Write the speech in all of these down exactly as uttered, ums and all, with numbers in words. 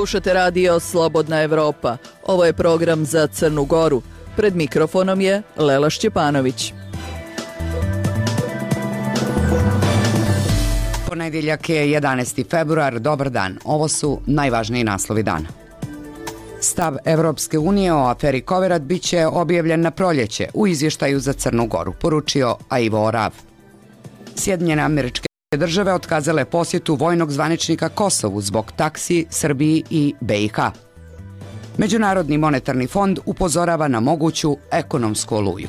Slušate radio Slobodna Evropa. Ovo je program za Crnu Goru. Pred mikrofonom je Lela Šćepanović. Ponedjeljak je jedanaesti februar, dobar dan. Ovo su najvažniji naslovi dana. Stav Evropske unije o aferi Koverat bit će objavljen na proljeće u izvještaju za Crnu Goru, poručio Aivo Orav. Sjedinjene Američke Države otkazale posjetu vojnog zvaničnika Kosovu zbog taksi Srbiji i B i H. Međunarodni monetarni fond upozorava na moguću ekonomsku oluju.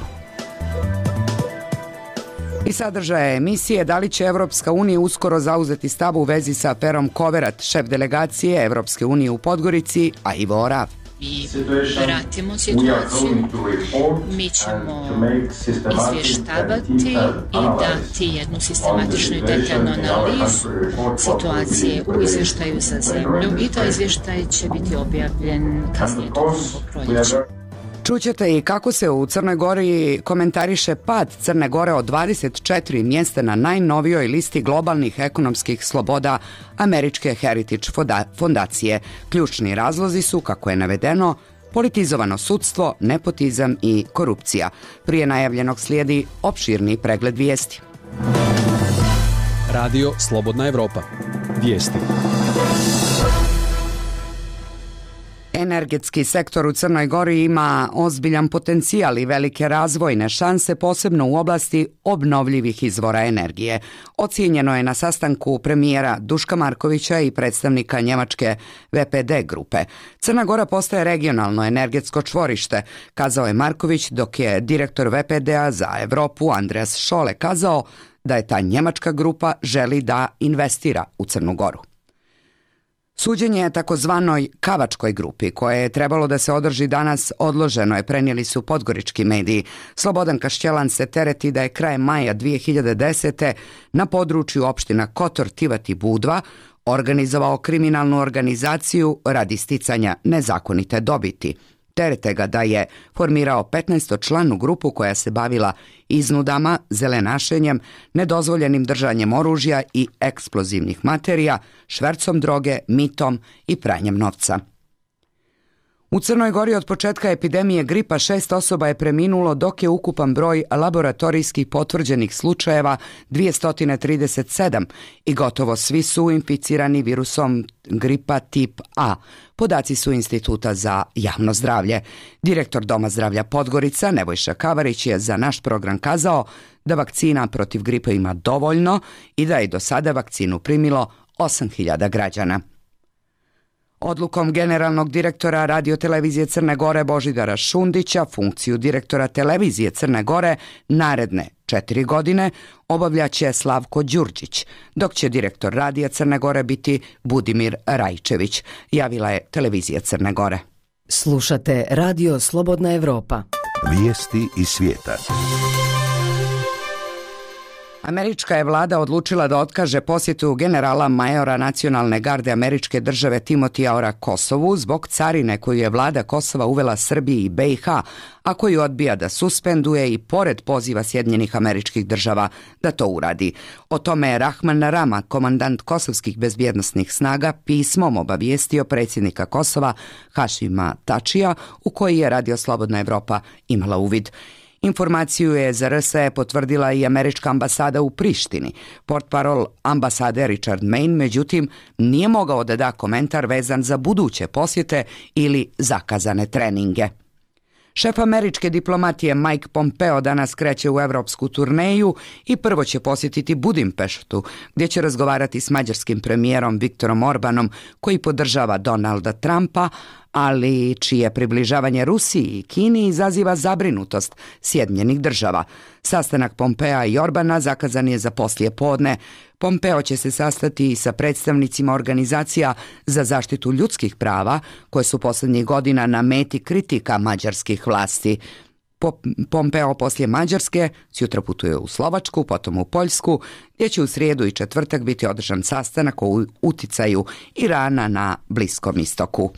I sadržaja emisije da li će Evropska unija uskoro zauzeti stav u vezi sa aferom Koverat, šef delegacije Evropske unije u Podgorici, Aivo Orav. Mi pratimo situaciju, mi ćemo izvještavati i dati jednu sistematičnu i detaljnu analizu situacije u izvještaju za zemlju i taj izvještaj će biti objavljen kasnije tokom proljeća. Čućete i kako se u Crnoj Gori komentariše pad Crne Gore od dvadeset četiri mjesta na najnovijoj listi globalnih ekonomskih sloboda Američke Heritage fondacije. Ključni razlozi su, kako je navedeno, politizovano sudstvo, nepotizam i korupcija. Prije najavljenog slijedi opširni pregled vijesti. Radio Slobodna Evropa. Vijesti. Energetski sektor u Crnoj Gori ima ozbiljan potencijal i velike razvojne šanse, posebno u oblasti obnovljivih izvora energije. Ocijenjeno je na sastanku premijera Duška Markovića i predstavnika njemačke V P D grupe. Crna Gora postaje regionalno energetsko čvorište, kazao je Marković, dok je direktor V P D-a za Evropu Andreas Šole kazao da je ta njemačka grupa želi da investira u Crnu Goru. Suđenje takozvanoj Kavačkoj grupi, koje je trebalo da se održi danas, odloženo je, prenijeli su podgorički mediji. Slobodan Kašćelan se tereti da je krajem maja dvije hiljade desete. na području opština Kotor, Tivat i Budva organizovao kriminalnu organizaciju radi sticanja nezakonite dobiti. Terete ga da je formirao petnaestočlanu grupu koja se bavila iznudama, zelenašenjem, nedozvoljenim držanjem oružja i eksplozivnih materija, švercom droge, mitom i pranjem novca. U Crnoj Gori od početka epidemije gripa šest osoba je preminulo, dok je ukupan broj laboratorijskih potvrđenih slučajeva dvjesto trideset sedam i gotovo svi su inficirani virusom gripa tip A. Podaci su Instituta za javno zdravlje. Direktor Doma zdravlja Podgorica, Nebojša Kavarić, je za naš program kazao da vakcina protiv gripe ima dovoljno i da je do sada vakcinu primilo osam hiljada građana. Odlukom generalnog direktora radiotelevizije Crne Gore Božidara Šundića funkciju direktora televizije Crne Gore naredne četiri godine obavljaće Slavko Đurđić, dok će direktor radija Crne Gore biti Budimir Rajčević, javila je televizija Crne Gore. Slušate radio Slobodna Evropa. Vijesti iz svijeta. Američka je vlada odlučila da otkaže posjetu generala majora nacionalne garde američke države Timotija Ora Kosovu zbog carine koju je vlada Kosova uvela Srbiji i B i H, a koju odbija da suspenduje i pored poziva Sjedinjenih Američkih Država da to uradi. O tome je Rahman Rama, komandant kosovskih bezbjednosnih snaga, pismom obavijestio predsjednika Kosova Hašima Tačija, u koji je Radio Slobodna Evropa imala uvid. Informaciju je za R S E potvrdila i američka ambasada u Prištini. Portparol ambasade Richard Main, međutim, nije mogao da da komentar vezan za buduće posjete ili zakazane treninge. Šef američke diplomatije Mike Pompeo danas kreće u evropsku turneju i prvo će posjetiti Budimpeštu, gdje će razgovarati s mađarskim premijerom Viktorom Orbanom, koji podržava Donalda Trumpa, ali čije približavanje Rusiji i Kini izaziva zabrinutost Sjedinjenih Država. Sastanak Pompea i Orbana zakazan je za poslije podne. Pompeo će se sastati i sa predstavnicima organizacija za zaštitu ljudskih prava, koje su posljednjih godina na meti kritika mađarskih vlasti. Pompeo poslije Mađarske sutra putuje u Slovačku, potom u Poljsku, gdje će u srijedu i četvrtak biti održan sastanak o uticaju Irana na Bliskom istoku.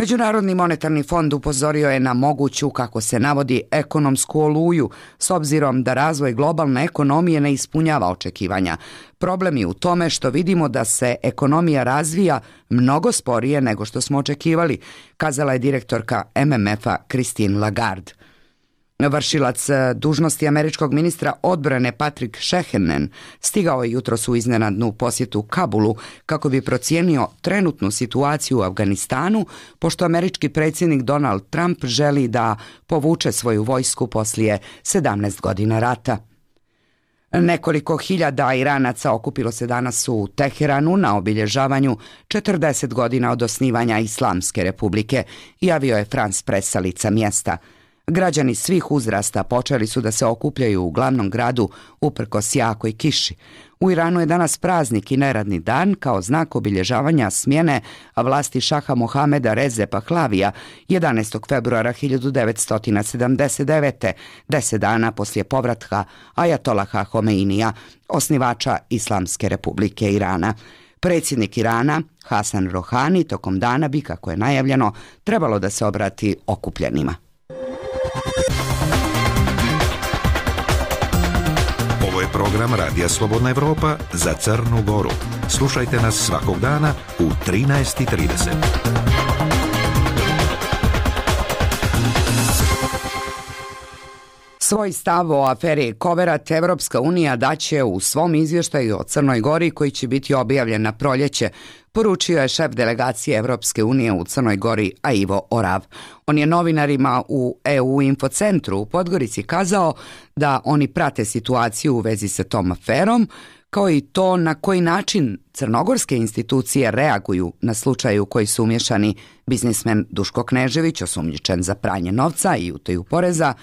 Međunarodni monetarni fond upozorio je na moguću, kako se navodi, ekonomsku oluju, s obzirom da razvoj globalne ekonomije ne ispunjava očekivanja. Problem je u tome što vidimo da se ekonomija razvija mnogo sporije nego što smo očekivali, kazala je direktorka M M F-a Christine Lagarde. Vršilac dužnosti američkog ministra odbrane Patrick Shanahan stigao je jutros u iznenadnu posjetu Kabulu kako bi procijenio trenutnu situaciju u Afganistanu, pošto američki predsjednik Donald Trump želi da povuče svoju vojsku poslije sedamnaest godina rata. Nekoliko hiljada Iranaca okupilo se danas u Teheranu na obilježavanju četrdeset godina od osnivanja Islamske republike, javio je France Press sa lica mjesta. Građani svih uzrasta počeli su da se okupljaju u glavnom gradu uprkos jakoj kiši. U Iranu je danas praznik i neradni dan kao znak obilježavanja smjene vlasti šaha Mohameda Reze Pahlavija jedanaestog februara hiljadu devetsto sedamdeset devete. deset dana poslije povratka Ajatolaha Homeinija, osnivača Islamske republike Irana. Predsjednik Irana, Hasan Rohani, tokom dana bi, kako je najavljeno, trebalo da se obrati okupljenima. Ovo je program Radija Slobodna Evropa za Crnu Goru. Slušajte nas svakog dana u trinaest i trideset. Svoj stav o aferi Koverat Evropska unija daće u svom izvještaju o Crnoj Gori koji će biti objavljen na proljeće, poručio je šef delegacije Evropske unije u Crnoj Gori Aivo Orav. On je novinarima u E U Infocentru u Podgorici kazao da oni prate situaciju u vezi sa tom aferom, kao i to na koji način crnogorske institucije reaguju na slučaj u koji su umješani biznismen Duško Knežević, osumnjičen za pranje novca i utaju poreza,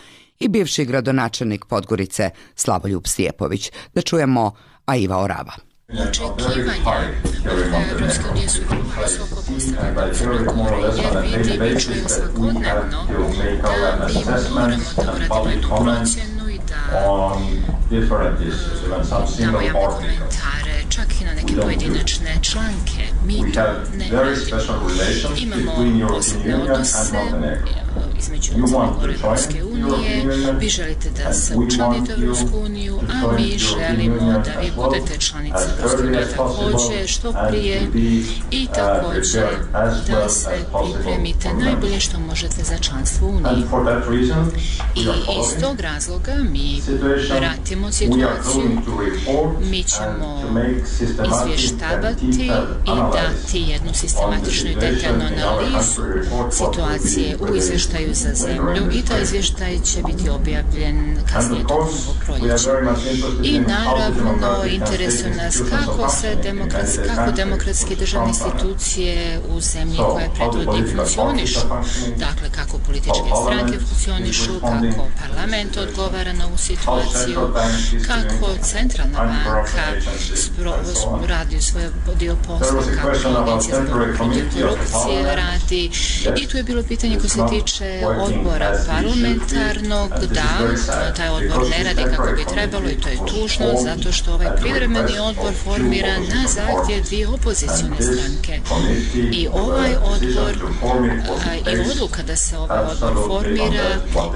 i bivši gradonačelnik Podgorice Slavoljub Stijepović. Da čujemo Aiva Orava. Očekivanja od Evropske unije su visoko postavljena u Crnoj Gori, jer vidimo i čujemo svakodnevno da mi moramo da uradimo jednu procjenu i da damo javne komentare, čak i na neke pojedinačne članke. Mi to ne radimo. Imamo posebne odnose između Crne Gore i Evropske unije. Vi želite da se učlanite u Evropsku uniju, a mi želimo da vi budete članica Evropske unije također što prije i također da se pripremite najbolje što možete za članstvo u Uniji. I iz tog razloga mi pratimo situaciju, mi ćemo izvještavati i dati jednu sistematičnu i detaljnu analizu situacije u izvještaju za zemlju i taj izvještaj će biti objavljen kasnije tokom ovog proljeća. I naravno interesuje nas kako se demokratski, kako demokratski državne institucije u zemlji koje predvodi funkcionišu, dakle kako političke stranke funkcionišu, kako parlament odgovara na ovu situaciju, kako centralna banka radi svoj dio posla, kako Agencija za borbu protiv korupcije radi. I tu je bilo pitanje koje se tiče odbora parlamentarnog, da taj odbor ne radi kako bi trebalo i to je tužno zato što ovaj privremeni odbor formira na zahtjev dvije opozicione stranke. I ovaj odbor i odluka da se ovaj odbor formira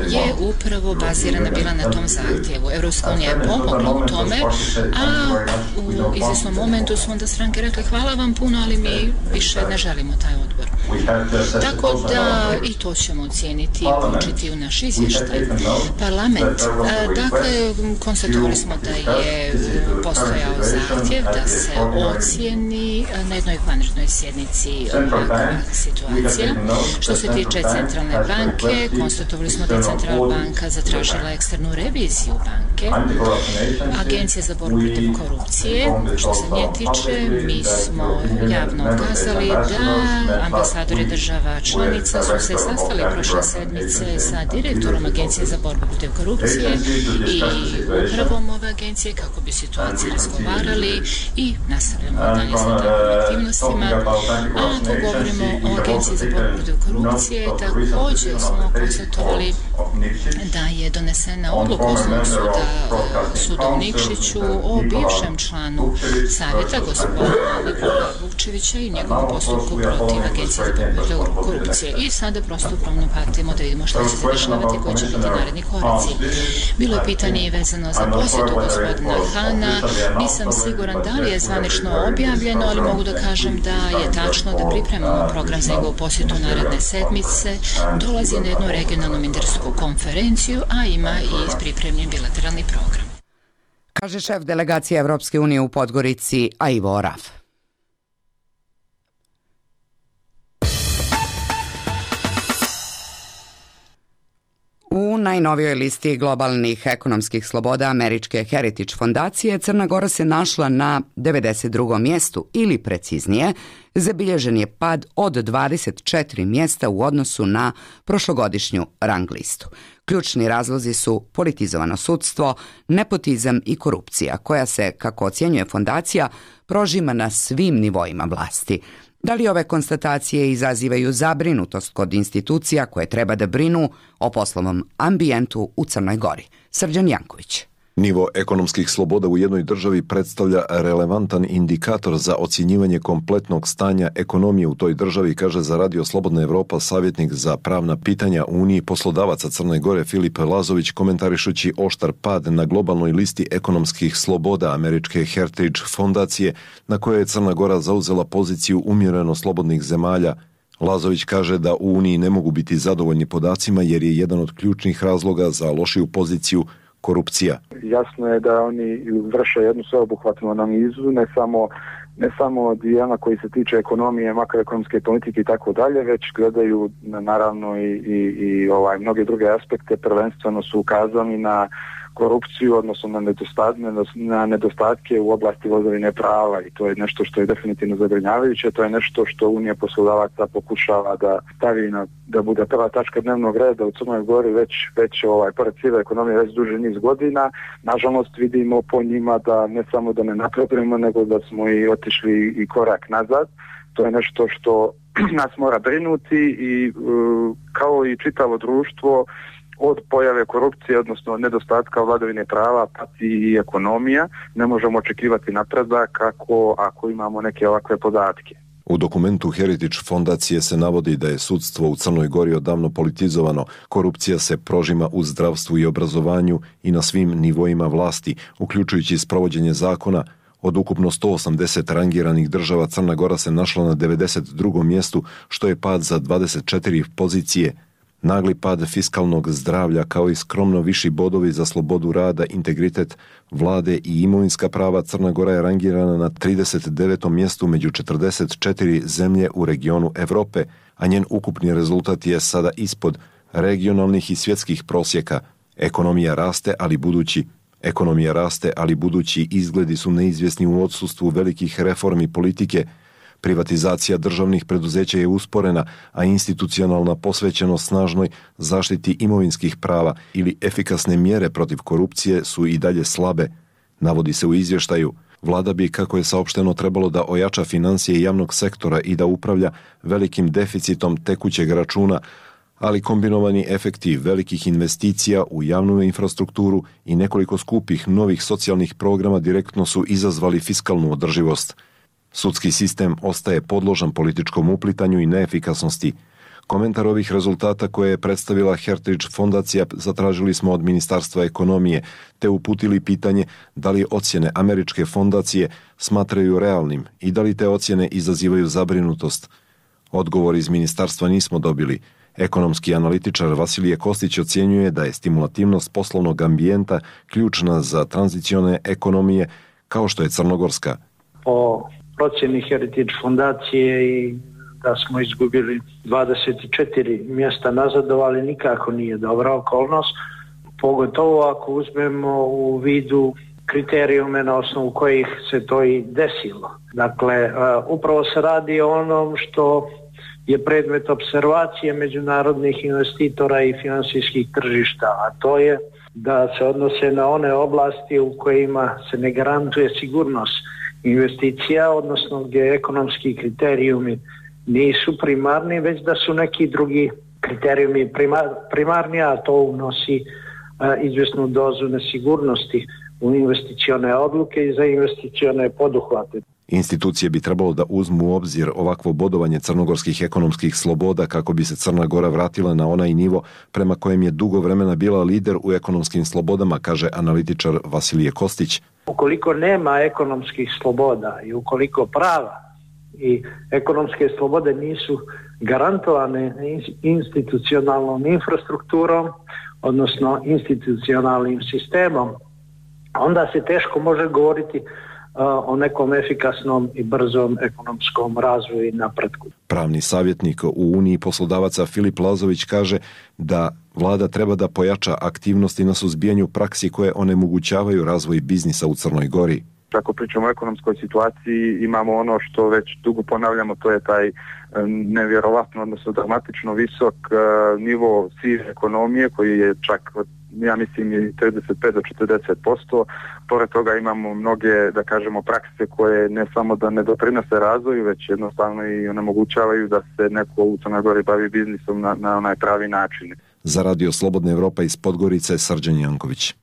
je upravo bazirana bila na tom zahtjevu. Evropska unija je pomogla u tome, a u izvjesnom momentu su onda stranke rekli hvala vam puno, ali mi više ne želimo taj odbor. Tako da i to ćemo ocijeniti i uključiti u naš izvještaj. Parlament, dakle, konstatovali smo da je postojao zahtjev da se ocijeni na jednoj vanrednoj sjednici ovakva situacija. Što se tiče centralne banke, konstatovali smo da je centralna banka zatražila eksternu reviziju banke. Agencija za borbu protiv korupcije, što se nje tiče, mi smo javno ukazali da ambasadori država članica su se sastali prošle sedmice sa direktorom Agencije za borbu protiv korupcije i upravom ove agencije kako bi situaciju razgovarali i nastavljamo dalje sa tom aktivnostima, a ako govorimo o Agenciji za borbu protiv korupcije, također smo konstatovali da je donesena odluka Osnovnog suda, suda u Nikšiću o bivšem članu savjeta gospodina Nikola Vukčevića i njegovom postupku protiv Agencije za borbu protiv korupcije. I sada prosto upravno pratimo da vidimo šta će se dešavati i koji će biti naredni koraci. Bilo je pitanje i vezano za posjetu gospodina Hana. Nisam siguran da li je zvanično objavljeno, ali mogu da kažem da je tačno da pripremamo program za njegovu posjetu naredne sedmice. Dolazi na jednu regionalnu ministarsku konferenciju, a ima i pripremljen bilateralni program. Kaže šef delegacije Evropske unije u Podgorici Aivo Oraf. U najnovijoj listi globalnih ekonomskih sloboda američke Heritage fondacije Crna Gora se našla na devedeset drugom mjestu ili preciznije, zabilježen je pad od dvadeset četiri mjesta u odnosu na prošlogodišnju rang listu. Ključni razlozi su politizovano sudstvo, nepotizam i korupcija, koja se, kako ocjenjuje fondacija, prožima na svim nivoima vlasti. Da li ove konstatacije izazivaju zabrinutost kod institucija koje treba da brinu o poslovnom ambijentu u Crnoj Gori? Srđan Janković. Nivo ekonomskih sloboda u jednoj državi predstavlja relevantan indikator za ocjenjivanje kompletnog stanja ekonomije u toj državi, kaže za Radio Slobodna Evropa savjetnik za pravna pitanja u Uniji poslodavaca Crne Gore Filip Lazović, komentarišući oštar pad na globalnoj listi ekonomskih sloboda američke Heritage fondacije, na kojoj je Crna Gora zauzela poziciju umjereno slobodnih zemalja. Lazović kaže da u Uniji ne mogu biti zadovoljni podacima jer je jedan od ključnih razloga za lošiju poziciju korupcija. Jasno je da oni vrše jednu sveobuhvatnu analizu, ne samo ne samo dijela koji se tiče ekonomije, makroekonomske politike i tako dalje, već gledaju naravno i, i, i ovaj mnoge druge aspekte. Prvenstveno su ukazani na korupciju, odnosno na nedostatke, na nedostatke u oblasti vladavine prava, i to je nešto što je definitivno zabrinjavajuće. To je nešto što Unija poslodavaca pokušava da stavi na, da bude prva tačka dnevnog reda u Crnoj Gori već, već ovaj, pored sive ekonomije već duži niz godina. Nažalost vidimo po njima da ne samo da ne napredujemo, nego da smo i otišli i korak nazad. To je nešto što nas mora brinuti i kao i čitavo društvo od pojave korupcije, odnosno nedostatka vladavine prava, pati i ekonomija. Ne možemo očekivati napredak kako ako imamo neke ovakve podatke. U dokumentu Heritage fondacije se navodi da je sudstvo u Crnoj Gori odavno politizovano, korupcija se prožima u zdravstvu i obrazovanju i na svim nivoima vlasti, uključujući sprovođenje zakona. Od ukupno sto osamdeset rangiranih država Crna Gora se našla na devedeset drugom mjestu, što je pad za dvadeset četiri pozicije. Nagli pad fiskalnog zdravlja kao i skromno viši bodovi za slobodu rada, integritet vlade i imovinska prava, Crna Gora je rangirana na trideset devetom mjestu među četrdeset četiri zemlje u regionu Evrope, a njen ukupni rezultat je sada ispod regionalnih i svjetskih prosjeka. Ekonomija raste, ali budući Ekonomija raste, ali budući izgledi su neizvjesni u odsustvu velikih reformi politike. Privatizacija državnih preduzeća je usporena, a institucionalna posvećenost snažnoj zaštiti imovinskih prava ili efikasne mjere protiv korupcije su i dalje slabe. Navodi se u izvještaju. Vlada bi, kako je saopšteno, trebalo da ojača financije javnog sektora i da upravlja velikim deficitom tekućeg računa, ali kombinovani efekti velikih investicija u javnu infrastrukturu i nekoliko skupih novih socijalnih programa direktno su izazvali fiskalnu održivost. Sudski sistem ostaje podložan političkom uplitanju i neefikasnosti. Komentar ovih rezultata koje je predstavila Heritage fondacija zatražili smo od Ministarstva ekonomije, te uputili pitanje da li ocjene američke fondacije smatraju realnim i da li te ocjene izazivaju zabrinutost. Odgovor iz ministarstva nismo dobili. Ekonomski analitičar Vasilije Kostić ocjenjuje da je stimulativnost poslovnog ambijenta ključna za tranzicione ekonomije kao što je crnogorska. Po procjeni Heritage fondacije i da smo izgubili dvadeset četiri mjesta nazadovali, nikako nije dobra okolnost, pogotovo ako uzmemo u vidu kriterijume na osnovu kojih se to i desilo. Dakle, upravo se radi o onom što je predmet observacije međunarodnih investitora i finansijskih tržišta, a to je da se odnose na one oblasti u kojima se ne garantuje sigurnost investicija, odnosno gdje ekonomski kriterijumi nisu primarni, već da su neki drugi kriterijumi primar, primarni, a to unosi a, izvjesnu dozu nesigurnosti u investicione odluke i za investicione poduhvate. Institucije bi trebalo da uzmu u obzir ovakvo bodovanje crnogorskih ekonomskih sloboda kako bi se Crna Gora vratila na onaj nivo prema kojem je dugo vremena bila lider u ekonomskim slobodama, kaže analitičar Vasilije Kostić. Ukoliko nema ekonomskih sloboda i ukoliko prava i ekonomske slobode nisu garantovane institucionalnom infrastrukturom, odnosno institucionalnim sistemom, onda se teško može govoriti o nekom efikasnom i brzom ekonomskom razvoju i napretku. Pravni savjetnik u Uniji poslodavaca Filip Lazović kaže da vlada treba da pojača aktivnosti na suzbijanju praksi koje onemogućavaju razvoj biznisa u Crnoj Gori. Ako pričamo o ekonomskoj situaciji, imamo ono što već dugo ponavljamo, to je taj nevjerovatno, odnosno dramatično visok nivo sive ekonomije koji je čak, ja mislim, i trideset pet do četrdeset posto. Pored toga imamo mnoge, da kažemo, prakse koje ne samo da ne doprinose razvoju, već jednostavno i onemogućavaju da se neko u Crnoj Gori bavi biznisom na, na onaj pravi način. Za Radio Slobodna Evropa iz Podgorice, Srđan Janković.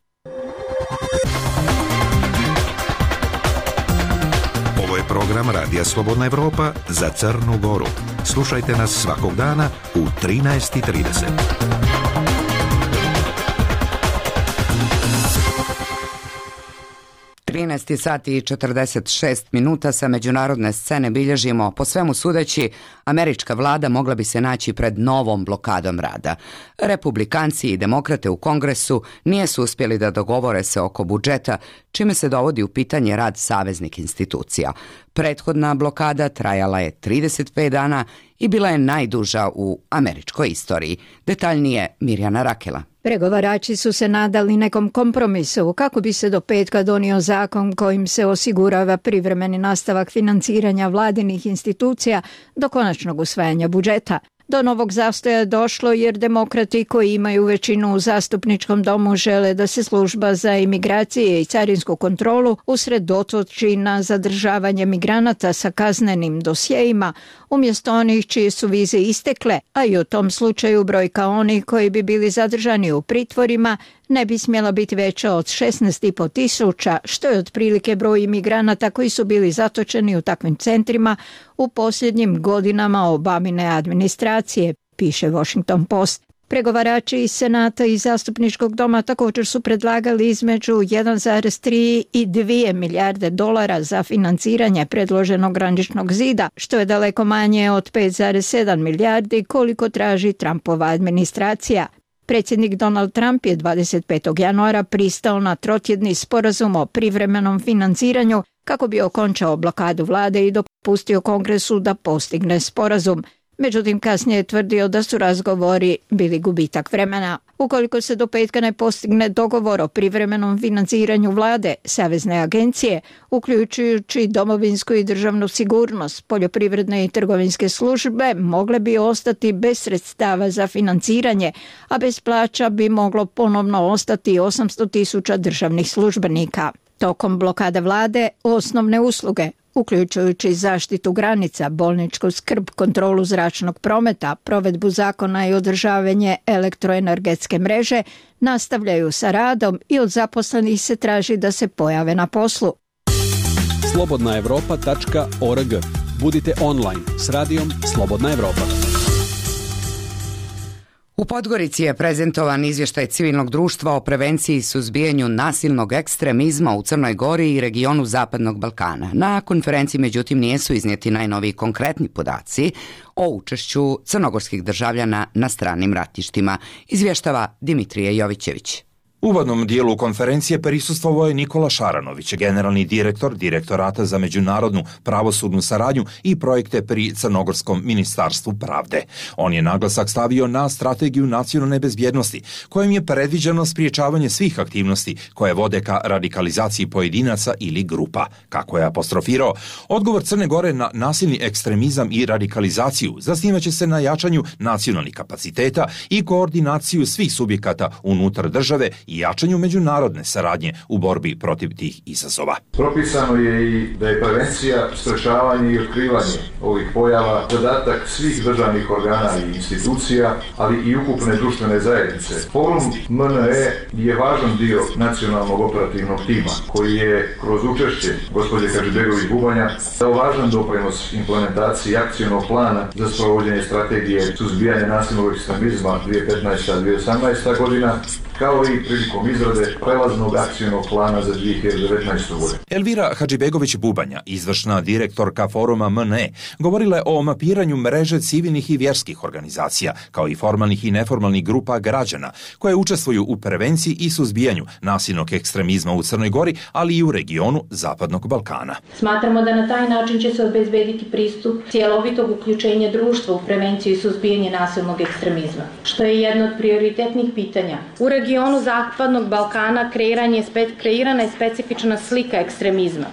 Ovo je program Radija Slobodna Evropa za Crnu Goru. Slušajte nas svakog dana u trinaest i trideset. trinaest sati i četrdeset šest minuta sa međunarodne scene bilježimo, po svemu sudeći, američka vlada mogla bi se naći pred novom blokadom rada. Republikanci i demokrate u Kongresu nisu uspjeli da dogovore se oko budžeta, čime se dovodi u pitanje rad saveznih institucija. Prethodna blokada trajala je trideset pet dana i bila je najduža u američkoj istoriji. Detaljnije Mirjana Rakela. Pregovarači su se nadali nekom kompromisu kako bi se do petka donio zakon kojim se osigurava privremeni nastavak financiranja vladinih institucija do konačnog usvajanja budžeta. Do novog zastoja je došlo jer demokrati koji imaju većinu u zastupničkom domu žele da se služba za imigracije i carinsku kontrolu usredotoči na zadržavanje migranata sa kaznenim dosjejima umjesto onih čije su vize istekle, a i u tom slučaju brojka onih koji bi bili zadržani u pritvorima ne bi smjela biti veća od šesnaest i po tisuća, što je otprilike broj imigranata koji su bili zatočeni u takvim centrima u posljednjim godinama Obamine administracije, piše Washington Post. Pregovarači iz Senata i Zastupničkog doma također su predlagali između jedan zarez tri i dvije milijarde dolara za financiranje predloženog graničnog zida, što je daleko manje od pet zarez sedam milijardi koliko traži Trumpova administracija. Predsjednik Donald Trump je dvadeset petog januara pristao na trotjedni sporazum o privremenom financiranju kako bi okončao blokadu vlade i dopustio Kongresu da postigne sporazum. Međutim, kasnije je tvrdio da su razgovori bili gubitak vremena. Ukoliko se do petka ne postigne dogovor o privremenom financiranju vlade, savezne agencije, uključujući domovinsku i državnu sigurnost, poljoprivredne i trgovinske službe, mogle bi ostati bez sredstava za financiranje, a bez plaća bi moglo ponovno ostati osamsto tisuća državnih službenika. Tokom blokade vlade, osnovne usluge, uključujući zaštitu granica, bolničku skrb, kontrolu zračnog prometa, provedbu zakona i održavanje elektroenergetske mreže, nastavljaju sa radom i od zaposlenih se traži da se pojave na poslu. slobodna evropa tačka org. Budite online s radijom Slobodna Evropa. U Podgorici je prezentovan izvještaj civilnog društva o prevenciji i suzbijanju nasilnog ekstremizma u Crnoj Gori i regionu Zapadnog Balkana. Na konferenciji, međutim, nisu iznijeti najnoviji konkretni podaci o učešću crnogorskih državljana na stranim ratištima, izvještava Dimitrije Jovićević. U uvodnom dijelu konferencije prisustvovao je Nikola Šaranović, generalni direktor Direktorata za međunarodnu pravosudnu saradnju i projekte pri Crnogorskom ministarstvu pravde. On je naglasak stavio na strategiju nacionalne bezbjednosti, kojim je predviđeno spriječavanje svih aktivnosti koje vode ka radikalizaciji pojedinaca ili grupa. Kako je apostrofirao, odgovor Crne Gore na nasilni ekstremizam i radikalizaciju zasnivaće se na jačanju nacionalnih kapaciteta i koordinaciju svih subjekata unutar države i jačanju međunarodne saradnje u borbi protiv tih izazova. Propisano je i da je prevencija, sprečavanje i otkrivanje ovih pojava zadatak svih državnih organa i institucija, ali i ukupne društvene zajednice. Forum M N E je važan dio nacionalnog operativnog tima, koji je kroz učešće gospođe Hadžibegović-Bubanja dao važan doprinos implementaciji akcionog plana za sprovođenje strategije suzbijanja nasilnog ekstremizma dvije tisuće petnaesta do dvije tisuće osamnaesta godina, kao i prilikom izrade prelaznog akcionog plana za dvije hiljade devetnaestu godinu. Elvira Hadžibegović-Bubanja, izvršna direktorka Foruma M N E, govorila je o mapiranju mreže civilnih i vjerskih organizacija, kao i formalnih i neformalnih grupa građana, koje učestvuju u prevenciji i suzbijanju nasilnog ekstremizma u Crnoj Gori, ali i u regionu Zapadnog Balkana. Smatramo da na taj način će se obezbediti pristup cjelovitog uključenja društva u prevenciju i suzbijanje nasilnog ekstremizma, što je jedno od prioritetnih pitanja. U regionu Zapadnog Balkana kreirana je specifična slika ekstremizma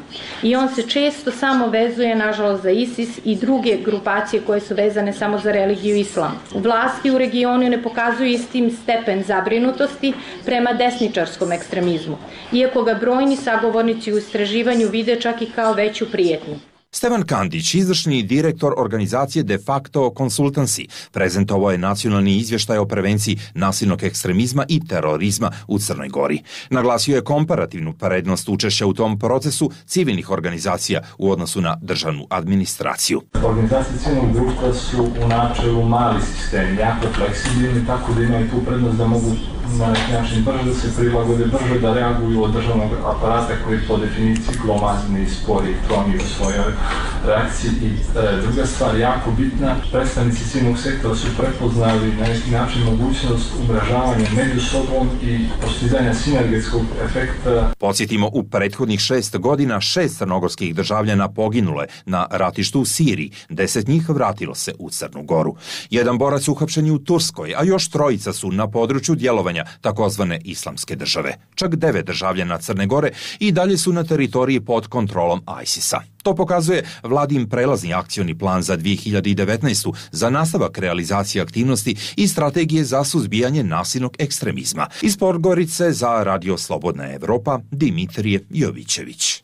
i on se često samo vezuje, nažalost, za ISIS i druge grupacije koje su vezane samo za religiju islam. Vlasti u regionu ne pokazuju istim stepen zabrinutosti prema desničarskom ekstremizmu, iako ga brojni sagovornici u istraživanju vide čak i kao veću prijetnju. Stevan Kandić, izvršni direktor organizacije De facto Consultancy, prezentovao je nacionalni izvještaj o prevenciji nasilnog ekstremizma i terorizma u Crnoj Gori. Naglasio je komparativnu prednost učešća u tom procesu civilnih organizacija u odnosu na državnu administraciju. Organizacije civilnog društva su u načelu mali sistem, jako fleksibilni, tako da imaju tu prednost da mogu na neki način brže da se prilagode, brže da reaguju od državnog aparata koji po definiciji glomazni, spori, tromi u svojoj reakciji. I e, druga stvar, jako bitna, predstavnici civilnog sektora su prepoznali na neki način mogućnost umrežavanja među sobom i postizanja sinergetskog efekta. Podsjetimo, u prethodnih šest godina šest crnogorskih državljana poginulo je na ratištu u Siriji, deset njih vratilo se u Crnu Goru. Jedan borac uhapšen je u Turskoj, a još trojica su na području djelovanja takozvane islamske države. Čak devet državljana Crne Gore i dalje su na teritoriji pod kontrolom ISIS-a. To pokazuje vladin prelazni akcioni plan za dvije hiljade devetnaestu za nastavak realizacije aktivnosti i strategije za suzbijanje nasilnog ekstremizma. Iz Podgorice za Radio Slobodna Evropa, Dimitrije Jovićević.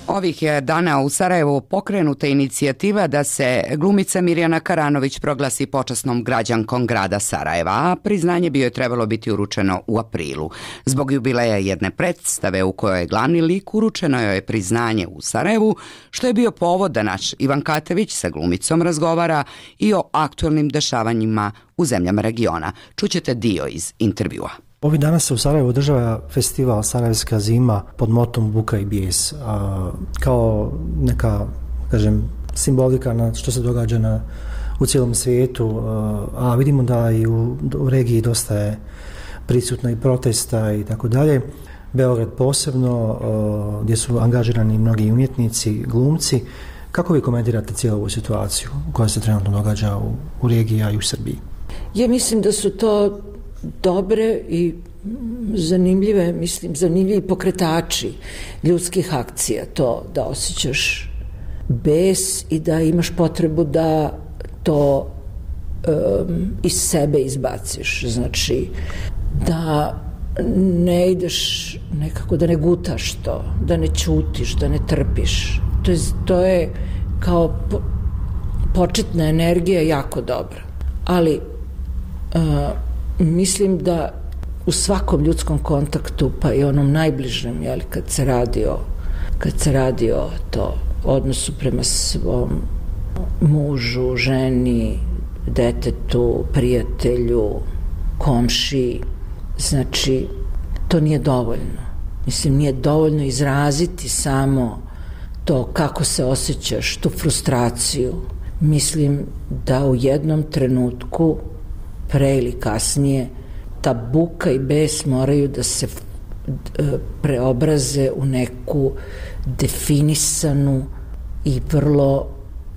Ovih je dana u Sarajevu pokrenuta inicijativa da se glumica Mirjana Karanović proglasi počasnom građankom grada Sarajeva, a priznanje bi joj trebalo biti uručeno u aprilu. Zbog jubileja jedne predstave u kojoj je glavni lik, uručeno joj je priznanje u Sarajevu, što je bio povod da naš Ivan Katević sa glumicom razgovara i o aktualnim dešavanjima u zemljama regiona. Čućete dio iz intervjua. Ovih dana se u Sarajevu održava festival Sarajevska zima pod motom Buka i bijes, a, kao neka, kažem, simbolika na što se događa na, u cijelom svijetu, a, a vidimo da i u, u regiji dosta je prisutno i protesta i tako dalje. Beograd posebno, a, gdje su angažirani mnogi umjetnici, glumci. Kako vi komentirate cijelu ovu situaciju koja se trenutno događa u, u regiji, a i u Srbiji? Ja mislim da su to dobre i zanimljive, mislim, zanimljivi pokretači ljudskih akcija, to da osjećaš bes i da imaš potrebu da to um, iz sebe izbaciš, znači da ne ideš nekako, da ne gutaš to, da ne ćutiš, da ne trpiš. To je, to je kao po, početna energija jako dobra, ali uh, mislim da u svakom ljudskom kontaktu, pa i onom najbližem, jeli, kad se radi o, kad se radi o to odnosu prema svom mužu, ženi, detetu, prijatelju, komšiji, znači to nije dovoljno. Mislim, nije dovoljno izraziti samo to kako se osjećaš, tu frustraciju. Mislim da u jednom trenutku, pre ili kasnije, ta buka i bes moraju da se preobraze u neku definisanu i vrlo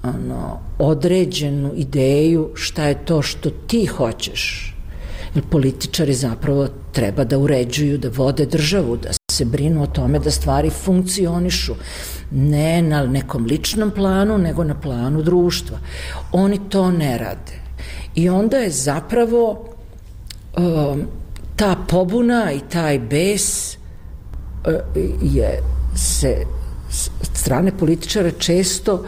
ono, određenu ideju šta je to što ti hoćeš. Jer političari zapravo treba da uređuju, da vode državu, da se brinu o tome da stvari funkcionišu. Ne na nekom ličnom planu, nego na planu društva. Oni to ne rade. I onda je zapravo um, ta pobuna i taj bes uh, je se strane političara često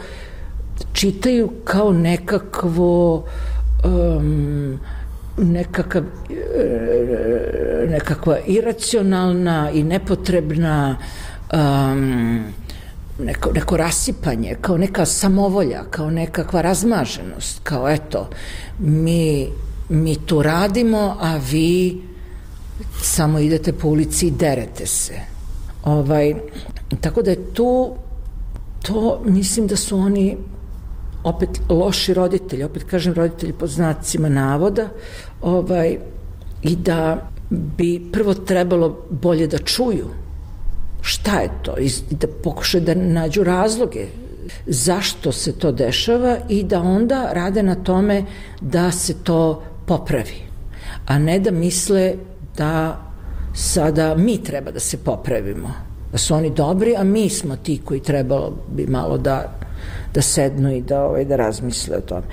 čitaju kao nekakvo um, nekakav, nekakva iracionalna i nepotrebna um, neko, neko rasipanje, kao neka samovolja, kao nekakva razmaženost, kao eto, mi, mi tu radimo, a vi samo idete po ulici i derete se. Ovaj, tako da je tu, to mislim da su oni opet loši roditelji, opet kažem roditelji pod znacima navoda, ovaj, i da bi prvo trebalo bolje da čuju šta je to i da pokušaju da nađu razloge zašto se to dešava i da onda rade na tome da se to popravi, a ne da misle da sada mi treba da se popravimo, da su oni dobri, a mi smo ti koji trebalo bi malo da da sednu i da, ovaj, da razmisle o tome.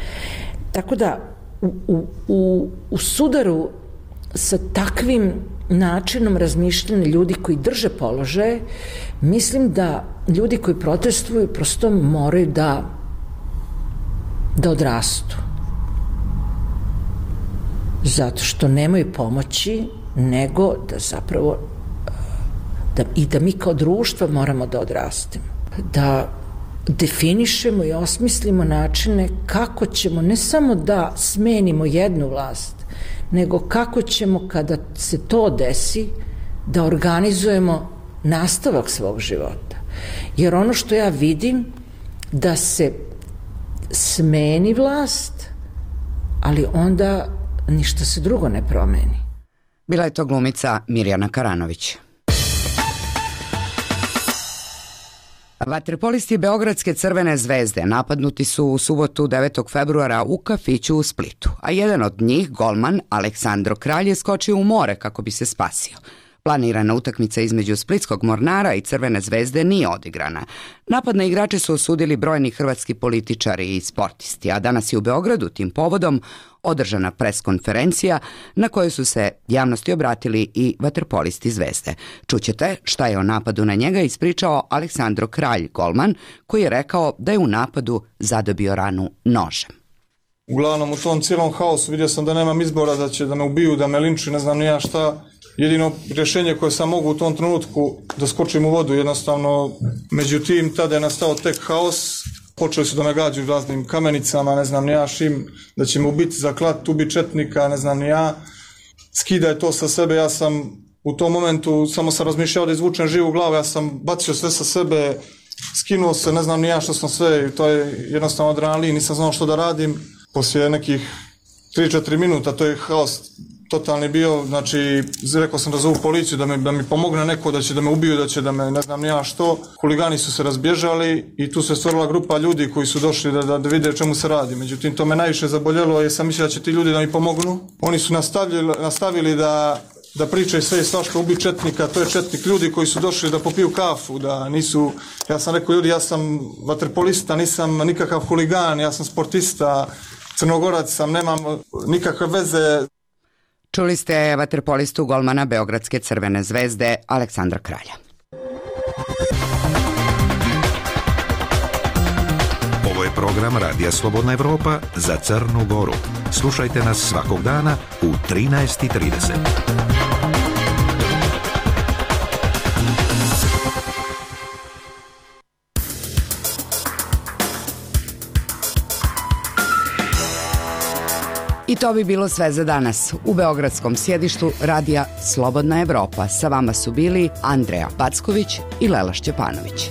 Tako da u, u, u, u sudaru sa takvim načinom razmišljanja ljudi koji drže položaje, mislim da ljudi koji protestuju prosto moraju da da odrastu. Zato što nemaju pomoći, nego da zapravo da, i da mi kao društvo moramo da odrastemo. Da definišemo i osmislimo načine kako ćemo ne samo da smenimo jednu vlast, nego kako ćemo kada se to desi da organizujemo nastavak svog života. Jer ono što ja vidim da se smeni vlast, ali onda ništa se drugo ne promeni. Bila je to glumica Mirjana Karanović. Vaterpolisti Beogradske Crvene zvezde napadnuti su u subotu devetog februara u kafiću u Splitu, a jedan od njih, golman Aleksandro Kralj, je skočio u more kako bi se spasio. Planirana utakmica između Splitskog Mornara i Crvene zvezde nije odigrana. Napad na igrače su osudili brojni hrvatski političari i sportisti, a danas je u Beogradu tim povodom održana preskonferencija na kojoj su se javnosti obratili i vaterpolisti Zvezde. Čućete šta je o napadu na njega ispričao Aleksandro Kralj, golman, koji je rekao da je u napadu zadobio ranu nožem. Uglavnom u tom cijelom haosu vidio sam da nemam izbora, da će da me ubiju, da me linčuju, ne znam ni ja šta. Jedino rješenje koje sam mogu u tom trenutku da skočim u vodu, jednostavno, međutim, tada je nastao tek haos, počeli su da me gađaju raznim kamenicama, ne znam ni ja šim, da će me ubiti za klat, ubiti četnika, ne znam ni ja, skidaj to sa sebe, ja sam u tom momentu samo sam razmišljao da izvučem živu glavu, ja sam bacio sve sa sebe, skinuo se, ne znam ni ja što sam sve, to je jednostavno adrenalin, nisam znao što da radim, poslije nekih tri četiri minuta, to je haos totalni bio, znači rekao sam da zovu policiju, da mi, da mi pomogne neko, da će da me ubiju, da će da me ne znam ni ja što. Huligani su se razbježali i tu se stvorila grupa ljudi koji su došli da, da, da vide o čemu se radi. Međutim, to me najviše zaboljelo jer sam mislio da će ti ljudi da mi pomognu. Oni su nastavili, nastavili da, da pričaju sve i svašta, ubi četnika, to je četnik, ljudi koji su došli da popiju kafu, da nisu, ja sam rekao ljudi, ja sam vaterpolista, nisam nikakav huligan, ja sam sportista, Crnogorac sam, nemam nikakve veze. Čuli ste vaterpolistu golmana Beogradske Crvene zvezde Aleksandra Kralja. Ovo je program Radija Slobodna Evropa za Crnu Goru. Slušajte nas svakog dana u trinaest i trideset. I to bi bilo sve za danas. U beogradskom sjedištu Radija Slobodna Evropa sa vama su bili Andreja Packović i Lela Šćepanović.